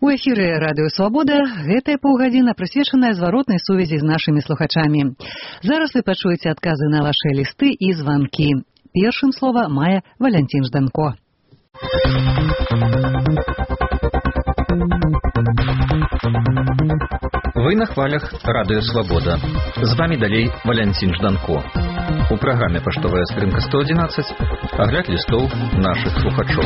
У эфіры радыё «Свабода» гэтая паўгадзіна прысвечаная зваротнай сувязі з нашымі слухачамі. Зараз вы пачуеце адказы на вашыя лісты і званкі. Першым слова мае Валянцін Жданко. Вы на хвалях радыё «Свабода». З вами далей Валянцін Жданко. У праграме «Паштовая скрынка 111» агляд лістоў нашых слухачоў.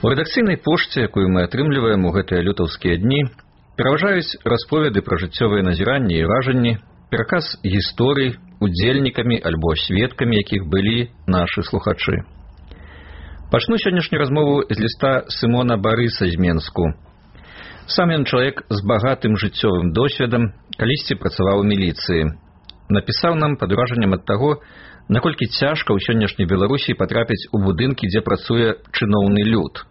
У рэдакцыйнай пошце, якую мы атрымліваем у гэтыя лютаўскія дні, пераважаюць расповеды пра жыццёвыя назіранні і вражанні, пераказ гісторый, удзельнікамі альбо сведкамі, якіх былі нашы слухачы. Пачну сённяшнюю размову з ліста Сымона Барыса з Менску. Сам ён чалавек з багатым жыццёвым досведам, калісьці працаваў у міліцыі. Напісаў нам пад уражаннем ад таго, наколькі цяжка ў сённяшняй Беларусі патрапіць у будынкі, дзе працуе чыноўны люд.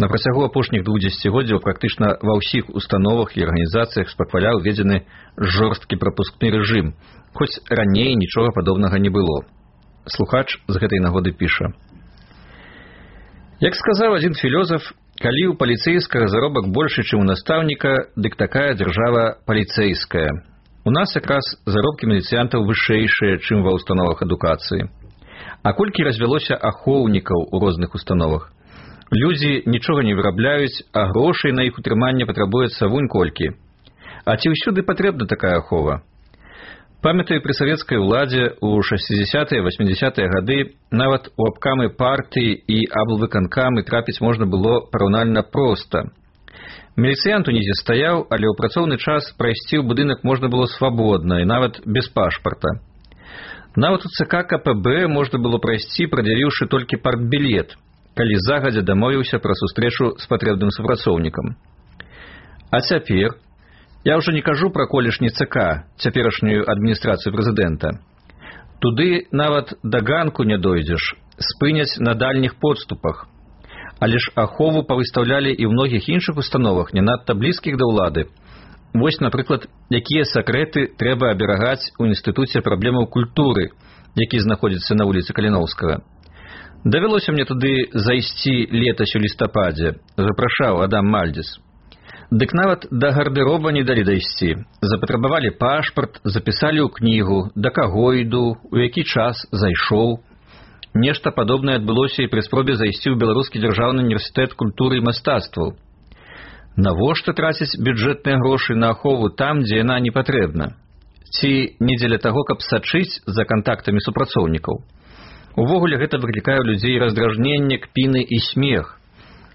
На працягу апошніх 2 дзесяцігоддзяў практычна ва ўсіх установах і арганізацыях спакваля ўведзены жорсткі прапускны рэжым, хоць раней нічога падобнага не было. Слухач з гэтай нагоды піша. Як сказаў адзін філёзаф, калі ў паліцэйскага заробак большы, чым у настаўніка, дык такая дзяржава паліцэйская. У нас якраз заробкі міліцыянтаў вышэйшыя, чым ва ўстановах адукацыі. А колькі развялося ахоўнікаў у розных установах? Людзі нічога не вырабляюць, а грошай на іх утрыманне патрабуецца вунь колькі. А ці ўсюды патрэбна такая ахова? Памятаю, пры савецкай уладзе ў 60-80-е гады нават у абкамы партыі і аблвыканкамы трапіць можна было параўнальна проста. Міліцыянт унізе стаяў, але ў працоўны час прайсці ў будынак можна было свабодна і нават без пашпарта. Нават у ЦК КПБ можна было прайсці, прад'явіўшы толькі партбілет, калі загадзя дамовіўся пра сустрэчу з патрэбным супрацоўнікам. А цяпер, я ўжо не кажу пра колішні ЦК, цяперашнюю адміністрацыю прэзідэнта. Туды нават да ганку не дойдзеш, спыняць на дальніх подступах. Але ж ахову павыстаўлялі і ў многіх іншых установах, не надта блізкіх да ўлады. Вось, напрыклад, якія сакрэты трэба аберагаць у інстытуце праблемаў культуры, які знаходзіцца на вуліцы Каліноўскага. Давялося мне туды зайсці летась у лістападзе, запрашаў Адам Мальдзіс. Дык нават да гардыроба не далі дайсці. Запатрабавалі пашпарт, запісалі ў кнігу, да каго іду, у які час зайшоў. Нешта падобнае адбылося і пры спробе зайсці ў Беларускі дзяржаўны універсітэт культуры і мастацтваў. Навошта траціць бюджэтныя грошы на ахову там, дзе яна не патрэбна? Ці не дзеля таго, каб сачыць за кантактамі супрацоўнікаў? Увогуле гэта выклікае ў людзей раздражненне, кпіны і смех.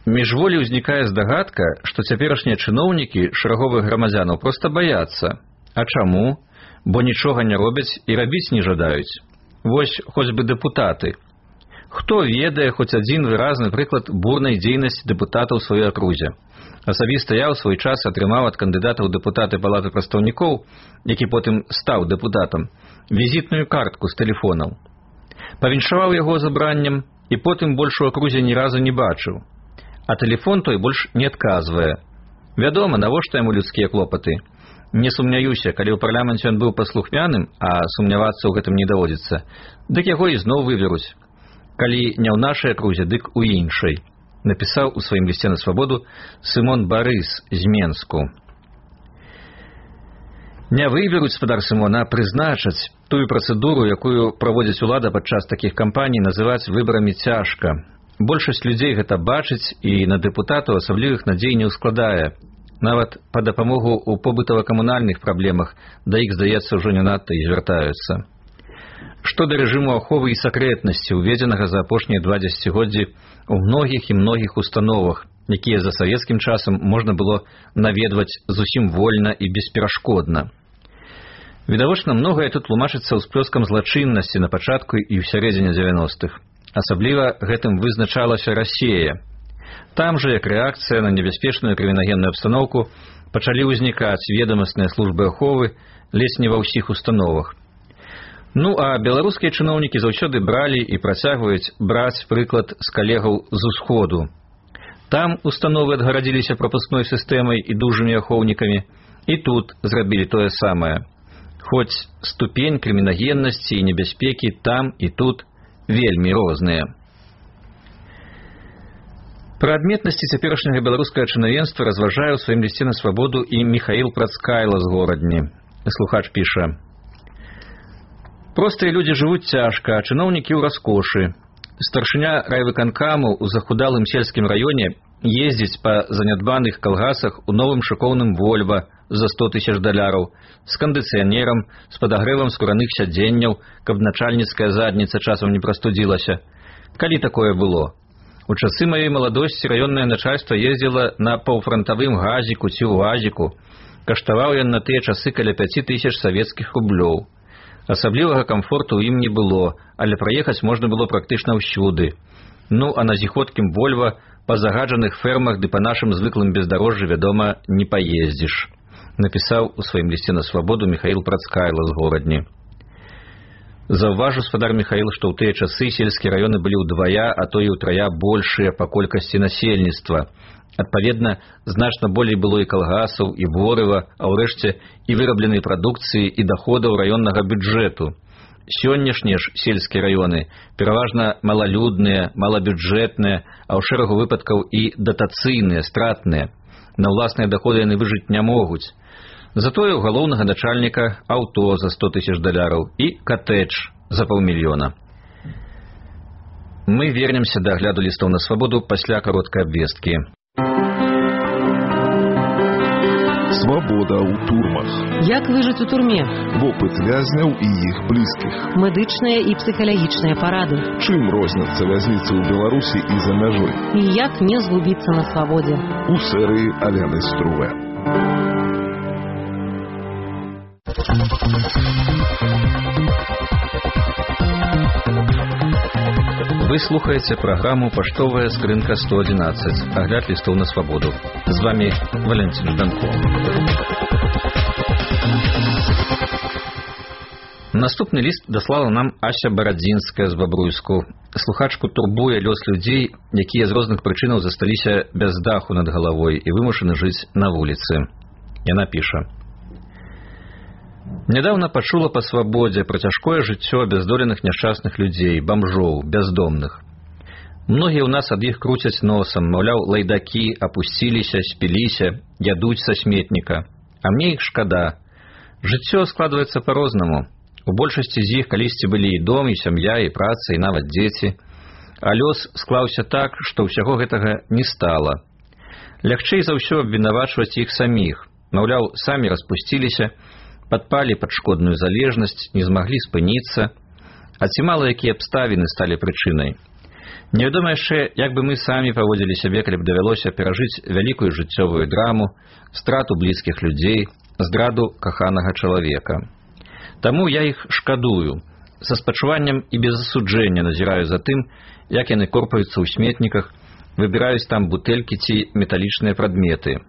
Міжволі ўзнікае здагадка, што цяперашнія чыноўнікі шараговых грамадзянаў проста баяцца. А чаму? Бо нічога не робяць і рабіць не жадаюць. Вось хоць бы дэпутаты. Хто ведае хоць адзін выразны прыклад бурнай дзейнасці дэпутата ў сваёй акрузе? Асабіста я ў свой час атрымаў ад кандыдата ў дэпутаты палаты прадстаўнікоў, які потым стаў дэпутатам, візітную картку з тэлефонаў. Павіншаваў яго забраннем і потым больш у акрузе ні разу не бачыў. А тэлефон той больш не адказвае. Вядома, навошта яму людскія клопаты. Не сумняюся, калі ў парламенце ён быў паслухмяным, а сумнявацца ў гэтым не даводзіцца, дык яго ізноў выберуць. Калі не ў нашай акрузе, дык у іншай. Напісаў у сваім лісце на свабоду Сымон Барыс з Менску. Не выберуць, спадар Сымон, а прызначаць. Тую працэдуру, якую праводзіць улада падчас такіх кампаній, называць выбарамі цяжка. Большасць людзей гэта бачыць і на дэпутатаў асаблівых надзей не ўскладае. Нават па дапамогу ў побытава-камунальных праблемах да іх, здаецца, ўжо не надта і звяртаюцца. Што да рэжыму аховы і сакрэтнасці, уведзенага за апошнія 2 дзесяцігоддзі ў многіх і многіх установах, якія за савецкім часам можна было наведваць зусім вольна і бесперашкодна. Відавочна, многае тут тлумачыцца ўсплёскам злачыннасці на пачатку і ў сярэдзіне 90-х. Асабліва гэтым вызначалася Расія. Там жа, як рэакцыя на небяспечную крымінагенную абстаноўку, пачалі ўзнікаць ведамасныя службы аховы ледзь не ва ўсіх установах. Ну, а беларускія чыноўнікі заўсёды бралі і працягваюць браць прыклад з калегаў з усходу. Там установы адгарадзіліся прапускной сістэмай і дужымі ахоўнікамі, і тут зрабілі тое самае. Хоць ступень крымінагеннасці і небяспекі там і тут вельмі розныя. Пра адметнасці цяперашняга беларускага чынавенства разважае ў сваім лісце на свабоду і Міхаіл Працкайла з Горадні. Слухач піша: «Простыя людзі жывуць цяжка, а чыноўнікі ў раскошы. Старшыня райвыканкаму ў захудалым сельскім раёне ездзіць па занядбаных калгасах у новым шыкоўным Вольва за 100 000 доляраў, з кандыцыянерам, з падагрэвам скураных сядзенняў, каб начальніцкая задніца часам не прастудзілася. Калі такое было? У часы маёй маладосці раённае начальства ездзіла на паўфрантавым газіку ці ўазіку. Каштаваў ён на тыя часы каля 5000 савецкіх рублёў. Асаблівага камфорту ў ім не было, але праехаць можна было практычна ўсюды. Ну, а на зіходкім Вольва па загаджаных фермах ды па нашым звыклым бездарожжы, вядома, не паездзіш», напісаў у сваім лісце на свабоду Міхаіл Працкайла з Горадні. Заўважу, спадар Міхаіл, што ў тыя часы сельскія раёны былі ўдвая, а то і ўтрая большыя па колькасці насельніцтва. Адпаведна, значна болей было і калгасаў, і ворыва, а ўрэшце і вырабленай прадукцыі, і даходаў раённага бюджэту. Сённяшнія ж сельскія раёны пераважна малалюдныя, малабюджэтныя, а ў шэрагу выпадкаў і датацыйныя, стратныя. На ўласныя даходы яны выжыць не могуць. Затое у галоўнага начальніка аўто за 100 000 доляраў і катэдж за 500 000. Мы вернемся да агляду лістоў на свабоду пасля кароткай абвесткі. Свабода ў турмах. Як выжыць у турме? Вопыт вязняў і іх блізкіх. Медычныя і псіхалагічныя парады. Чым розняцца вязніцы ў Беларусі і за мяжой? І як не згубіцца на свабодзе? У серыі Алены Струве. Вы слухаеце праграму «Паштовая скрынка 111», агляд лістоў на свабоду. З вами Валянцін Жданко. Наступны ліст даслала нам Ася Барадзінская з Бабруйску. Слухачку турбуе лёс людзей, якія з розных прычынаў засталіся без даху над галавой і вымушаны жыць на вуліцы. Яна піша: «Нядаўна пачула па свабодзе пра цяжкое жыццё абяздоленых няшчасных людзей, бамжоў, бяздомных. Многія ў нас ад іх круцяць носам, маўляў, лайдакі, апусціліся, спіліся, ядуць са сметніка. А мне іх шкада. Жыццё складваецца па-рознаму. У большасці з іх калісьці былі і дом, і сям'я, і праца, і нават дзеці. А лёс склаўся так, што ўсяго гэтага не стала. Лягчэй за ўсё абвінавачваць іх саміх. Маўляў, самі распусціліся, падпалі пад шкодную залежнасць, не змаглі спыніцца. А ці мала якія абставіны сталі прычынай. Невядома яшчэ, як бы мы самі паводзілі сябе, калі б давялося перажыць вялікую жыццёвую драму, страту блізкіх людзей, здраду каханага чалавека. Таму я іх шкадую. Са спачуваннем і без асуджэння назіраю за тым, як яны корпаюцца ў сметніках, выбіраюць там бутэлькі ці металічныя прадметы.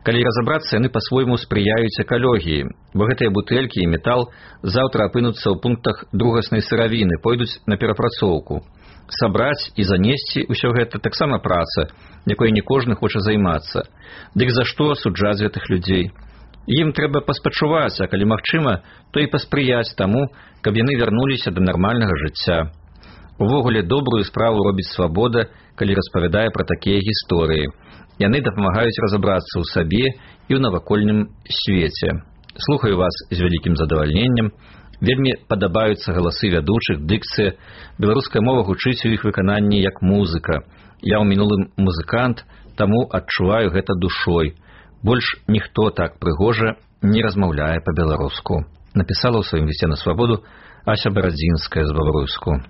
Калі разабрацца, яны па-свойму спрыяюць экалогіі, бо гэтыя бутэлькі і метал заўтра апынуцца ў пунктах другаснай сыравіны, пойдуць на перапрацоўку. Сабраць і занесці ўсё гэта таксама праца, якой не кожны хоча займацца. Дык за што асуджаць гэтых людзей? Ім трэба паспачуваць, а калі магчыма, то і паспрыяць таму, каб яны вярнуліся да нармальнага жыцця. Увогуле добрую справу робіць свабода, калі распавядае пра такія гісторыі. Яны дапамагаюць разабрацца ў сабе і ў навакольным свеце. Слухаю вас з вялікім задавальненнем. Вельмі падабаюцца галасы вядучых, дыкцыя. Беларуская мова гучыць у іх выкананні як музыка. Я ў мінулым музыкант, таму адчуваю гэта душой. Больш ніхто так прыгожа не размаўляе па-беларуску. Напісала ў сваім лісце на свабоду Ася Барадзінская з Бабруйску.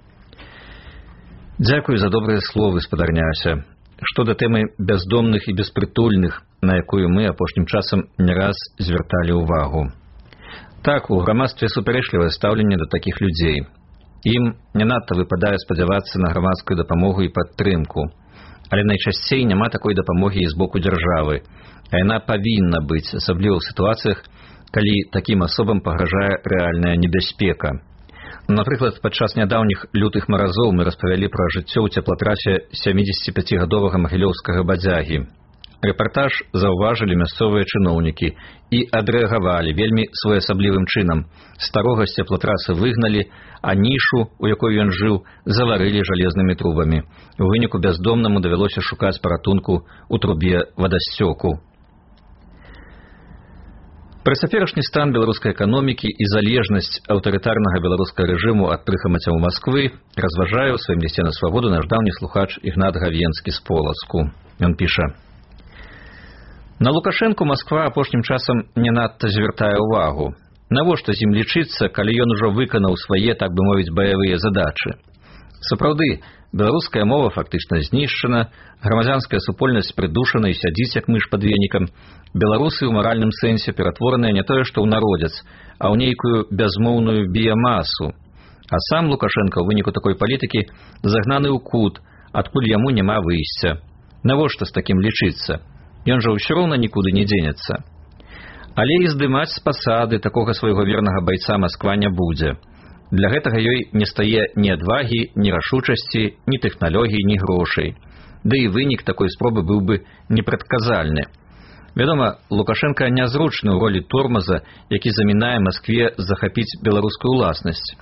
Дзякую за добрыя словы, спадарня Ася. Што да тэмы бяздомных і беспрытульных, на якую мы апошнім часам не раз звярталі ўвагу. Так, у грамадстве супярэчлівае стаўленне да такіх людзей. Ім не надта выпадае спадзявацца на грамадскую дапамогу і падтрымку. Але найчасцей няма такой дапамогі і з боку дзяржавы, а яна павінна быць, асабліва ў сітуацыях, калі такім асобам пагражае рэальная небяспека. Напрыклад, падчас нядаўніх лютых маразоў мы распавялі пра жыццё ў цеплатрафе 75-гадовага магілёўскага бадзягі. Рэпартаж заўважылі мясцовыя чыноўнікі і адрэагавалі вельмі своеасаблівым чынам. Старога з цеплатрасы выгналі, а нішу, у якой ён жыў, заварылі жалезнымі трубамі. У выніку бяздомнаму давялося шукаць паратунку ў трубе вадасцёку. Пра цяперашні стан беларускай эканомікі і залежнасць аўтарытарнага беларускага рэжыму ад прыхамацяў Масквы разважае ў сваім лісце на свабоду наш даўні слухач Ігнат Гавенскі з Полацку. Ён піша: «На Лукашэнку Масква апошнім часам не надта звяртае ўвагу. Навошта з ім лічыцца, калі ён ужо выканаў свае, так бы мовіць, баявыя задачы? Сапраўды, беларуская мова фактычна знішчана, грамадзянская супольнасць прыдушана і сядзіць, як мыш пад венікам. Беларусы ў маральным сэнсе ператвораныя не тое, што ў народец, а ў нейкую бязмоўную біямасу. А сам Лукашенко ў выніку такой палітыкі загнаны ў кут, адкуль яму няма выйсця. Навошта з такім лічыцца? Ён жа ўсё роўна нікуды не дзенецца. Але і здымаць з пасады такога свайго вернага байца Масква не будзе. Для гэтага ёй не стае ні адвагі, ні рашучасці, ні тэхналогій, ні грошай. Ды і вынік такой спробы быў бы непрадказальны. Вядома, Лукашенко нязручны ў ролі тормаза, які замінае Маскве захапіць беларускую ўласнасць.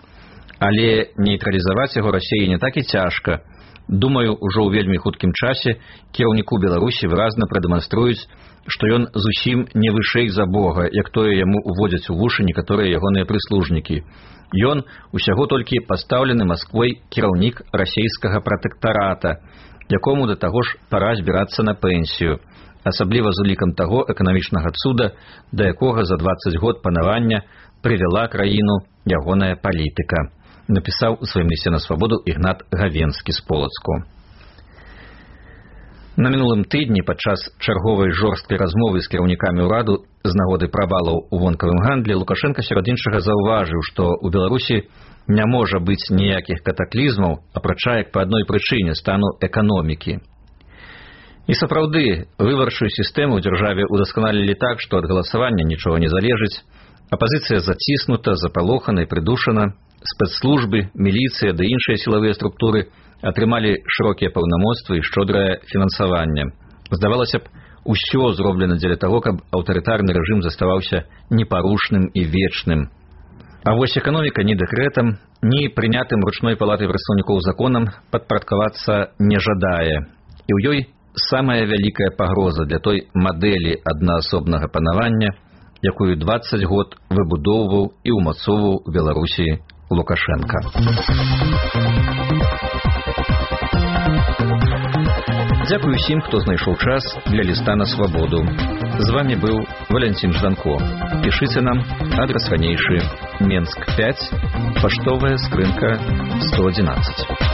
Але нейтралізаваць яго Расіі не так і цяжка. Думаю, ужо ў вельмі хуткім часе кіраўніку Беларусі выразна прадэманструюць, што ён зусім не вышэй за Бога, як тое яму уводзяць у вушы некаторыя ягоныя прыслужнікі. Ён усяго толькі пастаўлены Масквой кіраўнік расійскага пратэктарата, якому да таго ж пара збірацца на пенсію, асабліва з улікам таго эканамічнага цуда, да якога за 20 год панавання прывяла краіну ягоная палітыка, напісаў у сваім лісце на свабоду Ігнат Гавенскі з Полацку. На мінулым тыдні падчас чарговай жорсткай размовы з кіраўнікамі ўраду з нагоды правалаў у вонкавым гандлі Лукашенко сярод іншага заўважыў, што ў Беларусі не можа быць ніякіх катаклізмаў, апрача як па адной прычыне стану эканомікі. І сапраўды, выбарчую сістэму ў дзяржаве удасканалілі так, што ад галасавання нічога не залежыць, апазіцыя заціснута, запалохана і прыдушана, спецслужбы, міліцыя ды іншыя сілавыя структуры атрымалі шырокія паўнамоцтвы і шчодрае фінансаванне. Здавалася б, усё зроблена дзеля таго, каб аўтарытарны рэжым заставаўся непарушным і вечным. А вось эканоміка ні дэкрэтам, ні прынятым ручной палатай прадстаўнікоў законам падпарадкавацца не жадае. І ў ёй самая вялікая пагроза для той мадэлі аднаасобнага панавання, якую 20 год выбудоўваў і ўмацоўваў у Беларусі Лукашенко. Дзякую усім, хто знайшоў час для ліста на свабоду. З вами быў Валянцін Жданко. Пішыце нам, адрас ранейшы: Менск 5, паштовая скрынка 111.